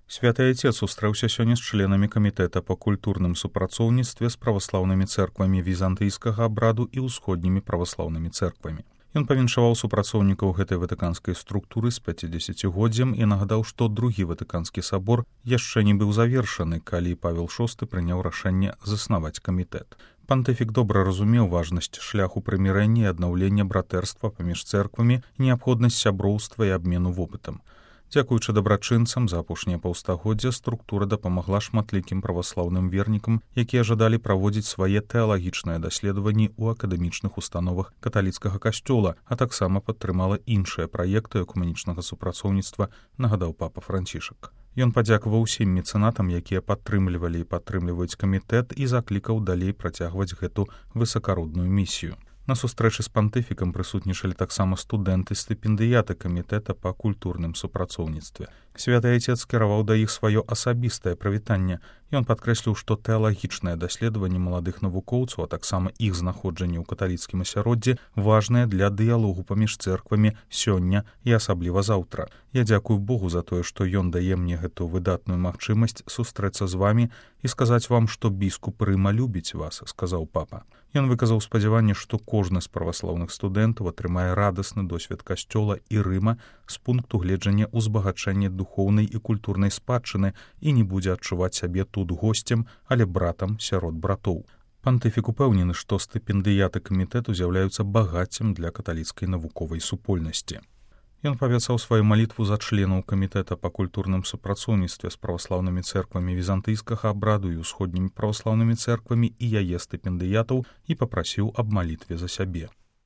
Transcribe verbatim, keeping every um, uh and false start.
Святы Отец сустрэўся сёння з членамі камітэта па культурным супрацоўніцтве з праваслаўнымі цэрквамі візантыйскага абраду і ўсходнімі праваслаўнымі цэрквамі. Ён павіншаваў супрацоўнікаў гэтай ватыканскай структуры з пяцідзесяцігоддзям і нагадаў, што другі ватыканскі сабор яшчэ не быў завершаны, калі Павел шосты прыняў рашэнне заснаваць камітэт. Пантыфік добра разумеў важнасць шляху прымірэння і аднаўлення братэрства паміж цэрквамі, неабходнасць сяброўства і абмену вопытам. Дзякуючы дабрачынцам за апошнія паўстагоддзя структура дапамагла шматлікім праваслаўным вернікам, якія жадалі праводзіць свае тэалагічныя даследаванні ў акадэмічных установах каталіцкага касцёла, а таксама падтрымала іншыя праекты экуменічнага супрацоўніцтва, нагадаў папа Францішак. Ён падзякаваў усім мецэнатам, якія падтрымлівалі і падтрымліваюць камітэт, і заклікаў далей працягваць гэту высакародную місію. На сустрэчы з пантыфікам прысутнічалі таксама студэнты-стыпендыяты камітэта па культурным супрацоўніцтве. Святы Отец скіраваў да іх сваё асабістае прывітанне. Ён падкрэсліў, што тэалагічнае даследаванне маладых навукоўцаў, а таксама іх знаходжанне ў каталіцкім асяроддзі важнае для дыялогу паміж цэрквамі сёння і асабліва заўтра. Я дзякую Богу за тое, што ён дае мне гэту выдатную магчымасць сустрэцца з вамі і сказаць вам, што біскуп Рыма любіць вас, сказаў папа. Ён выказаў спадзяванне, што кожны з праваслаўных студэнтаў атрымае радасны досвед касцёла і Рыма з пункту гледжання ўзбагачэння духоўнай і культурнай спадчыны і не будзе адчуваць сябе тут госцем, але братам сярод братоў. Пантыфік упэўнены, што стыпендыяты камітэту з'яўляюцца багаццем для каталіцкай навуковай супольнасці. Ён павяцаў сваю малітву за членаў камітэта па культурным супрацоўніцтве з праваслаўнымі цэрквамі візантыйскага абраду і ўсходнімі праваслаўнымі цэрквамі і яе стыпендыятаў і папрасіў аб малітве за сябе.